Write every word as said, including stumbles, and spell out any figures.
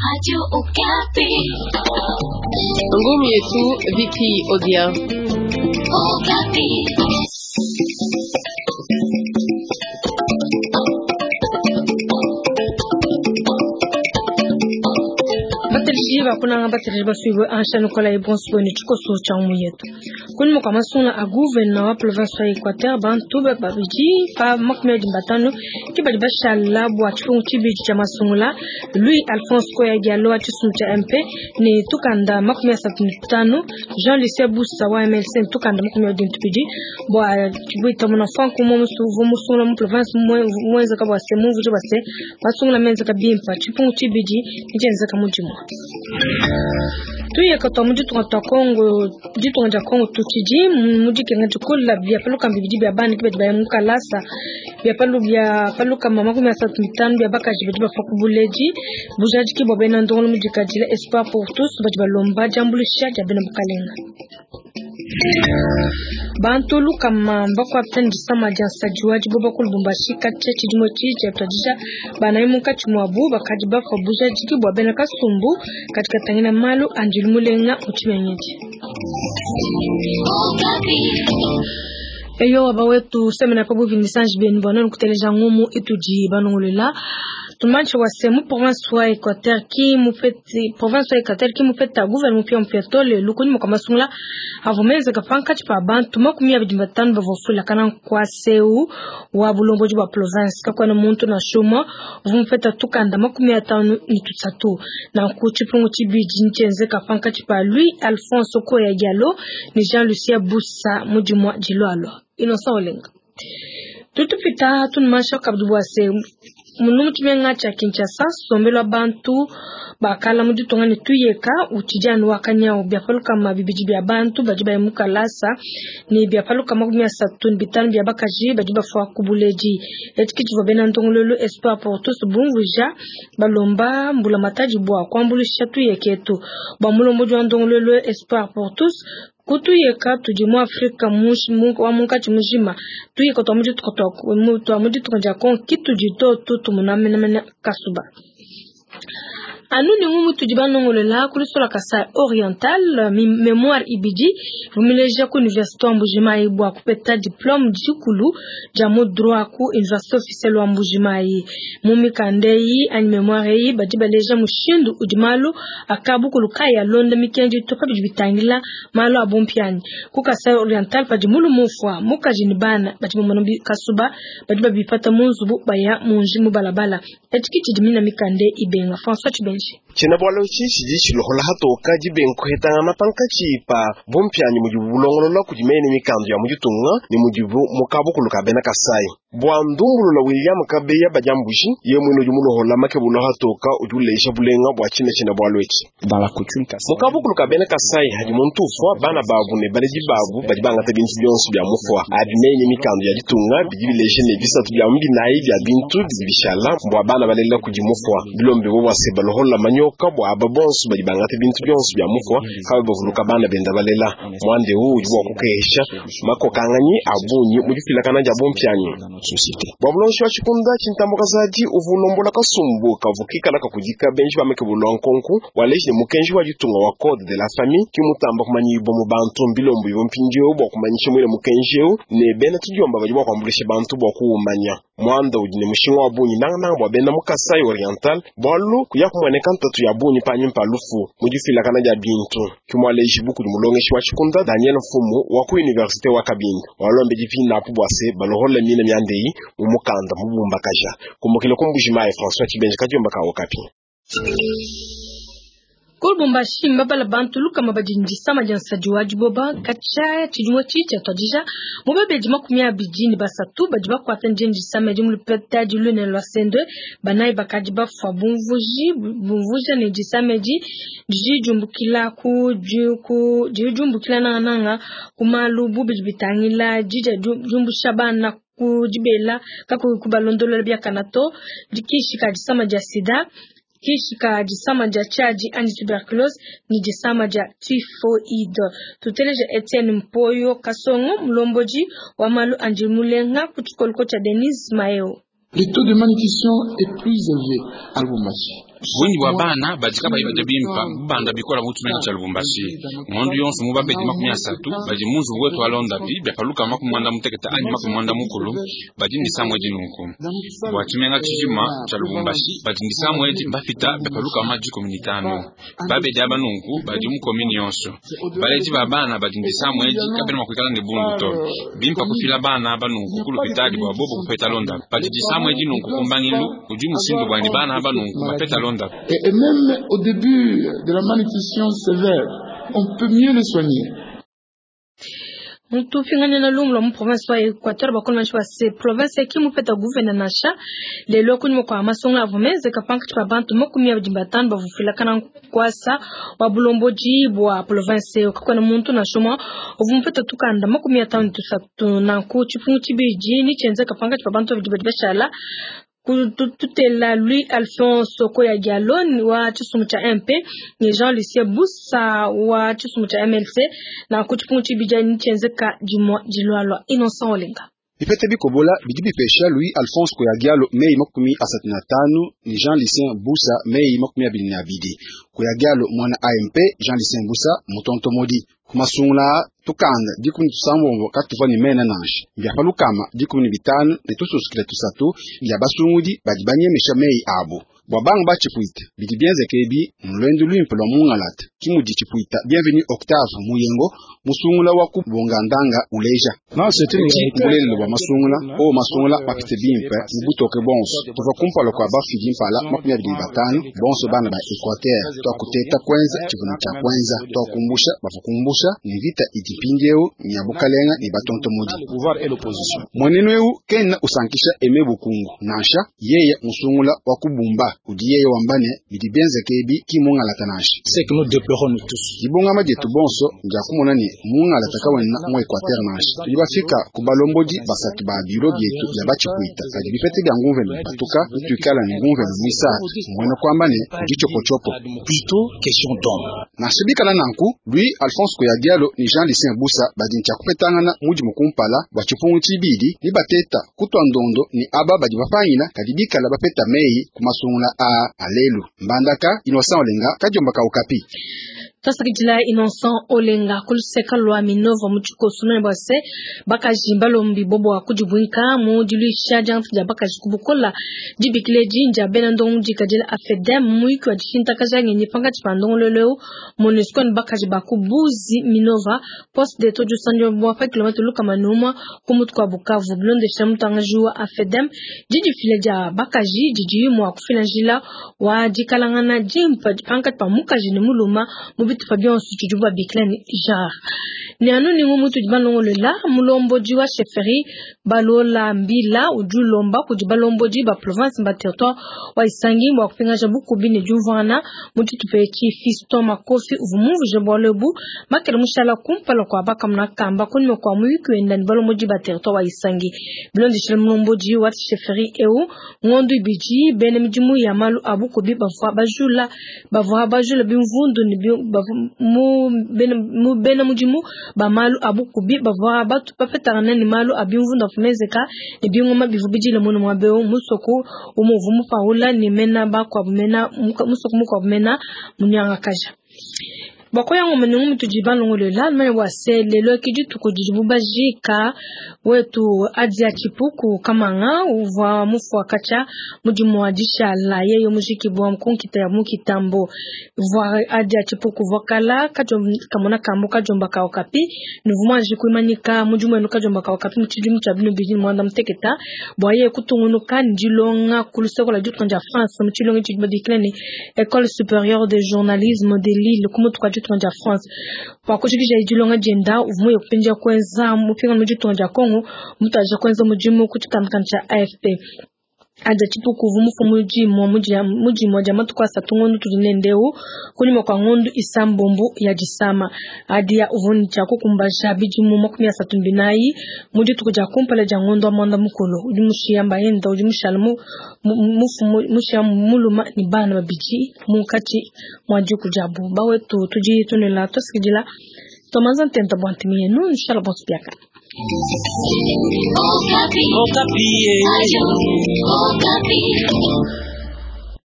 Radio Okapi. Ngumi yetu Viki Odia. Okapi. Bateleji bakunanga bateleji basuibwe ansha Nicolas Ebonso ne tshikoso tsha mu yetu. Kunyima kua masungula a gouverneur wa province wa Equateur bantu babidi pa makumi abidi batanu ke badi bashala bua tshipungu tshibidi tshia masungula Louis Alphonse Koya Diallo wa tshisumbu tshia M P ne tukanda makumi asatu ne tanu Jean Lucien Bussa wa M L C ne tukanda makumi abidi ne tubidi bua tshibuita muna Frank Mumu musungula mu province muenzeka bua se mumvuije bua se masungula menzeka bimpe tshipungu tshibidi ntshienzeka mudimu. Tuyeka twa mu ditunga twa Congo, ditunga dia Congo tutshidi mu dikenga dikole bia paluka bibidi bia bana ke badi baya mu kalasa bia palu bia paluka makumi asatu mitanu bia bakaji badi bafua ku buledi bujadiki bua bena ndongolo mu dikadila Espoir pour tous badi balomba diambuluisha dia bena bukalenga. Bantu lukama mbakuapita ne disama dia nsadi wa diboba ku Lubumbashi katshia tshidimu etshi tshiatuadija banayi munkatshi muabu bakadi bafua bujadiki bua bena kasumbu kadi katangila malu a ndilu mulenga mu tshimenga. Eyo waba wetu semena pa buvi misanji benu bua nenu kuteleja ngumu itudi banongolela. Tumanche wa se mu province wa Equateur ki mupeti province wa Equateur ki mupeta gouvernement mupia mupia tole lukuni mukamasungula avumeze kapankatshi pa bantu makumi abidi batanu bavofula kana kwa seu wa bulomboji bwa province kakwana muntu na shuma vumupeta tukanda makumi atanu ni tusatu na kuchipungu chibidi nchenze kapankatshi pa Louis Alphonse Koya Diallo ni Jean Lucien Bussa mudimwa jilwalwa Innocent Olenga. Tutupita tunumasha kabdu bwa se munu mutshimenga tsha Kinshasa sombelwa bantu bakala mu ditunga ne tuyeka utshidi wakanyao bia paluka mabibidi bia bantu badi baya mu kalasa ne bia paluka makumi asatu ne bitanu bia bakaji badi bafua ku buledi etshi tshivua bena ndongololo Espoir pour tous bumvuija balomba mbula matadi bua kuambuluisha tuyeketu bua mulombodi wa ndongololo Espoir pour tous kutuyeka tudi mu Afrika wa munkatshi mujima tuyeka twa mu twa mu ditunga dia Congo kitudi totu tumunamenamena kasuba. Anu ni ngumu tudi banongolela kulisola Kasai Oriental mémoire ibidi vumileja ku université wa Mbujimayi bua kupeta diplôme dikulu dia mu droit ku université officielle wa Mbujimayi mu mikanda eyi anyi mémoire eyi badi baleja mushindu udi malu akabukulu kaya londa mikendi to pa bidi bitangila malu a bumpianyi ku Kasai Oriental padi mulu mufwa mukaji ni bana badi bamona kasuba badi babipata mu nzubu baya munji mu balabala etshi tshidi mina mikanda ibenga François Chibenji. Tshiena-bualu etshi tshidi tshilohola hatoka dibenkuhetangana pankatshi pa bumpianyi mudibu bulongolola kudi mene mikandu ya mu ditunga ne mudibu mukabukulu ka bena Kasai. Bua ndumbulula William Kabeya badiambuji ye mwene udi mulohola makebulo hatoka udi ulesha bulenga bua tshina tshiena-bualu etshi. Mukabukulu ka bena Kasai hadi muntu ufua bana babu ne baledi babu badi bangata bintu bionso bia mufua abi mene mikandu ya ditunga bidi bilesha ne bisatu bia mu binayi bia bintu bidi bishala bua bana balela kudi mufua bilombe bo bua se balohola manyoka bua aba bonso badi bangata bintu bionso bia mufua kabe bavuluka bana benda balela mwande wu udi bua kukehesha makokanganyi abunyi mu difilakana dia bumpianyi. Bua bulonshi wa tshikunda tshintambo kazadi uvulombola kasumbu kavukikala kakudika benji bamekebulwa nkonku waleji ne mukenji wa ditunga wa code de la famille kimutamba kumanyibo mu bantu mbilombo ibo mpindieu bua kumanyisha mwile mukenji eu ne bena tudiomba badi bua kuambulisha bantu bua kuumanya mwanda udi ne mushinga wa bunyi nangananga bua bena mu Kasai Oriental bualu kuya kumueneka ntatu ya bunyi panyi mpa lufu mu difilakana dia bintu kimwaleji buku di mulongeshi wa tshikunda Daniel Mfumu wa ku université wa Kabinda walombe dipina apu bua se balohola mina miandeyi mu mukanda mubumbakaja kumukile ku Mbujimayi François Chibenji kadiomba ka Okapi. Ku Lubumbashi mbabala bantu lukama badi ndisama dia nsadi wa diboba katshia tshidimu etshi tshiatuadija mu babedi makumi abidi ne basatu badi bakuata ndiye ndisama edi mu lupeta dilune lua sendwe banayi bakadi bafua bumvuji bumvuja ne disama edi didi diumbukila ku ku didi diumbukila nangananga ku malu bubidi bitangila didia diumbusha bana ku dibela kakuyi kubalondolola biakana to dikishi ka disama dia sida kishika disama dia tshiadi anti tuberculose ni disama dia typhoid. Tuteleja Etienne Mpoyo Kasongo mulomboji wa malu andi mulenga ku tshikoloko tshia Denise Maeo. Le taux de malnutrition est plus élevé à Lubumbashi. Bungi bwa bana badi kabayi badia bimpa bubanda bikola mu tshimenga tshia Lubumbashi. Ngondo yonso mu babedi makumi asatu badi mu nzubu wetu alondapi byapaluka makumi mwanda mutekete anyi makumi mwanda mukulu badi ndisamwe dinunku. Bwa tshimenga tshijima tshia Lubumbashi badi ndisamwe edi bafita byapaluka ma dikumi ni tano. Babedi aba nunku badi mu komini yonso. Baledi ba bana badi ndisamwe edi kabena mua kuikala ne bundu to. Bimpa kufila bana aba nunku ku lupitali bwa bobo kupeta londa. Badi disamwe edi nunku kumbangilu udi musindu bwani bana aba nunku bapeta londa. Et, et même au début de la malnutrition sévère, on peut mieux les soigner. Mutupingana na lumu lwa mu province wa Equateur bakoloma wa se province ya kimupeta gouverneur nasha lelo kunyuma kwa masongo avumeze kapanka chipa bantu makumi abidi batano bavufila kana kwasa wa bulomboji bwa province kakwana muntu nashoma ovumupeta tukanda makumi atano tusatu nanku chipungu chibiji ni chenze kapanka chipa bantu abidi badi bashala tutela Louis Alphonse Koya Diallo wa chisumu cha M P ni Jean Lucien Bussa wa chisumu cha M L C na kuchipungu chibija ni chenzeka jimwa jilwalwa Innocent Olenga. Bipete bikobola bidi bipesha Louis Alphonse Koyagialo mei makumi asatu na tano ni Jean Lucien Bussa mei makumi abili na abidi. Koyagialo mwana A M P Jean Lucien Bussa mutonto modi. Kumasungula tukanda dikumi tusambombo katuva ni mena nansha byapalukama dikumi ni bitano ne tususukile tusatu bya basungudi badi banyemesha mei abo bwa banga bachipuita bidi bienzeke ebi mulwendu lwimpe lwa mungalata kimudi chipuita Bienvenue Octave Muyengo musungula wa kubongandanga uleja bulelelo bwa masungula o masungula bapite bimpe mubutoke bonso tuva kumpala kwa bafidi mpala makumi abili batano bonso bana ba Equateur twakuteta kwenza chivuna cha kwenza twakumbusha bafukumbusha ni vita idipindieu ni abukalenga ni batonto mudi mwenenu eu kena usankisha eme bukungu nansha yeye musungula wa kubumba udi yeye wambane bidi bienzeke ebi ki mungalata nansha C'est que nous déplorons nous tous. Dibongama dietu bonso ndia kumona ni mungalata kawena mu Equateur nansha tudi bafika ku balombodi basatu ba biro bietu bya bachipuita kadi bipete bya ngumvelo batuka nituikala ni ngumvelo mwisatu mwene kwamba ne udi chopochopo Plutôt question d'homme. Nansha bikala nanku Louis Alphonse Koyagialo ni Jean Lucien Bussa badi ntshia kupetangana mudi mukumpala bwa tshipungu tshibidi ni bateta kutwa ndondo ni aba badi bapangila kadi bikala bapeta mei ku masungula a alelu Mbandaka Innocent Olenga kajomba ka Okapi. Tasakidila Innocent Olenga kuluseka lwa Minova muchikoso nane bwase bakaji balombi bobo akujibwinka mu diluisha jantu ja bakaji kubukola dibikile jinja bena ndongo dikadila afedem muiki wa dishinta kajange ni panga chipandongo leleu MONUSCO ni bakaji bakubuzi Minova poste de toju sanjo bwa pa kilometre luka manuma kumutu kwa Bukavu blonde shamutangaji wa afedem jiji file ja bakaji jiji mwa kufila njila wa dikalangana jimpa panga pa mukaji ni muluma mubitu Fabian Suchujuba Biklen jar. Ni anu ni mutu jibalongo la mulombo jiwa chefferie balola mbila ujulomba kujibalombo jiba province mba territoire wa Isangi mwa kupinga jabu kubine juvana mutu tupechi Fiston Makofi uvumuvu jebolebu makele mushala kumpala kwa baka mnakamba kunime kwa muyiki wenda ni balombo jiba territoire wa Isangi. Bilondi shile mulombo jiwa chefferie eu ngondu ibiji bene mijimu ya malu abu kubi bavwa bajula bavwa bajula bimvundu ni mu bena mu bena mujimu ba malu abu kubi bavwa batu bapetana ni malu abimvunda fumezeka ni bingoma bivubijile muno mwabeo musoko umuvumu paula ni mena bakwa mena musoko mukwa mena munyanga kaja bakoya ngoma ni mutu jibalongo la mane wase lelo kijitu kujibubajika wetu adia chipuku kamanga uva mufu akacha mujimu wa la yeyo mujiki bwa mkunkita ya mukitambo vwa adia chipuku vakala kamona kambo kajomba ka Okapi nuvuma jikuimanyika mujimu enu kajomba ka Okapi muchidimu cha binu bijini mwanda mteketa bwa ye kutungunuka ndilonga kuluseko la jutu nja France muchilonga chibadikileni École supérieure de journalisme de Lille kumutu kwa jutu nja France kwa kushikisha ijilonga jenda uvumu yokupenja kwenza mupinga mujitu nja Kongo mutaja kwenza mujimu kuchitamkancha A F P aja chipuku vumufu muji muji muji moja matu kwa satu ngondu tulinendeu kunyuma kwa ngondu isambombo ya jisama adi ya uvuni cha kukumbasha bijimu makumi ya satu mbinai muji tukuja kumpale ja ngondu amanda mukolo ujimushi amba yenda ujimushala mu mufu mushi muluma ni bana babiji mukati mwaji kujabu bawe tu tuji tunela tosikijila tomanza ntenta bwantimiye nu nshala bonspiaka. Okapi. Okapi. Ayo, Okapi.